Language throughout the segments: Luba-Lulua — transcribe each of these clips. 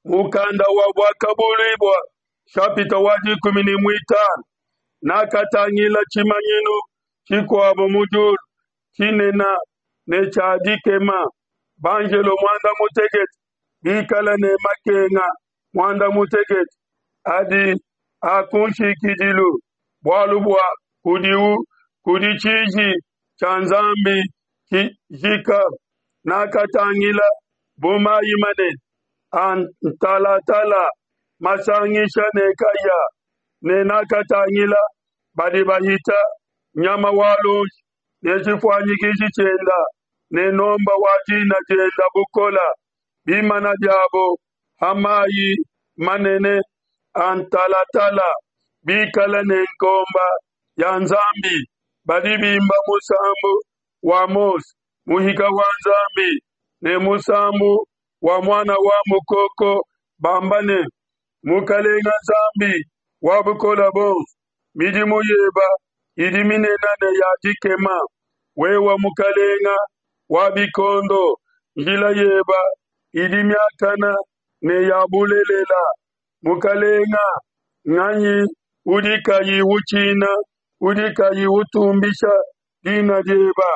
Mukanda wa Buakabuluibua nshapita wa 15. Nakatangila tshimanyinu tshikuabo mu diulu, tshinene ne tshia dikema, banjelo muanda mutekete bikale ne makenga muanda mutekete adi a ku nshikidilu, bualu bua kudiu kudi tshiji tshia Nzambi tshijika. Nakatangila bu mayi manene a ntalatala masangisha ne kahia, ne nakatangila badi bahita nyama wa luonji ne tshifuanyikiji tshienda ne nomba wa dina dienda bukola, bimana biabo ha mayi manene a ntalatala, bikale ne nkomba ya Nzambi, badi bimba musambu wa Mose muhika wa Nzambi ne musambu wa Muana wa Mukoko, bamba ne, Mukalenga Nzambi wa Bukole Buonso, midimu yeba idi minene ne ya dikema. Wewe Mukalenga wa bikondo, njila yeba idi miakane ne ya bulelela. Mukalenga, nganyi udi kayi utshina, udi kayi utumbisha dina dieba?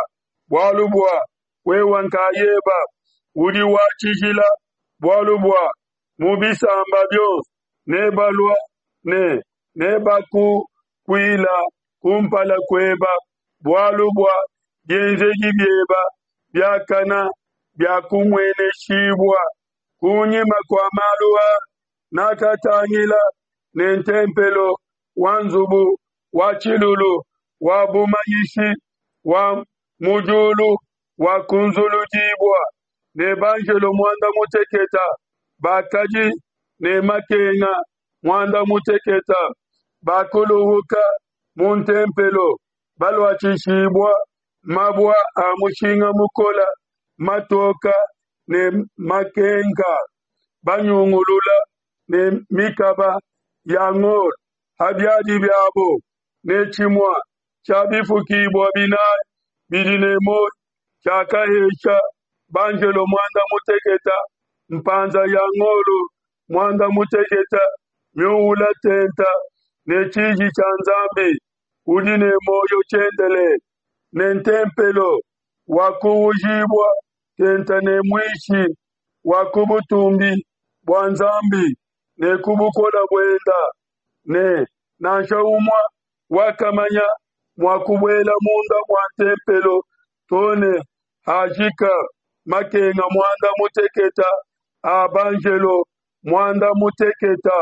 Bualu bua wewe nkayeba udi wa tshijila, bualu bua mu bisamba bionso nebalua ne nebakukuila kumpala kueba, bualu bua bienzedi bieba biakana biakumueneshibua. Kunyima kua malu aa nakatangila ne ntempelo wa nzubu wa tshilulu wa bumanyishi wa mu diulu wakunzuludibua, ne banjelo muanda muteketa bakadi ne makenga muanda muteketa bakuluhuka mu ntempelo, baluatshishibua mabua a mushinga mukola matoka ne makenka, banyungulula ne mikaba ya ngolo ha biadi biabo, ne tshimua tshia bifukibua binai bidi ne muoyo tshiakahesha banjelo muanda muteketa mpanza ya ngolo muanda muteketa miuula tenta ne tshiji tshia Nzambi udi ne muoyo tshiendelele, ne ntempelo wakuujibua tenta ne muishi wa ku butumbi bua Nzambi ne ku bukole buenda, ne nansha umue wakamanya mua kubuela munda mua ntempelo to ne hajika makenga muanda muteketa a banjelo muanda muteketa.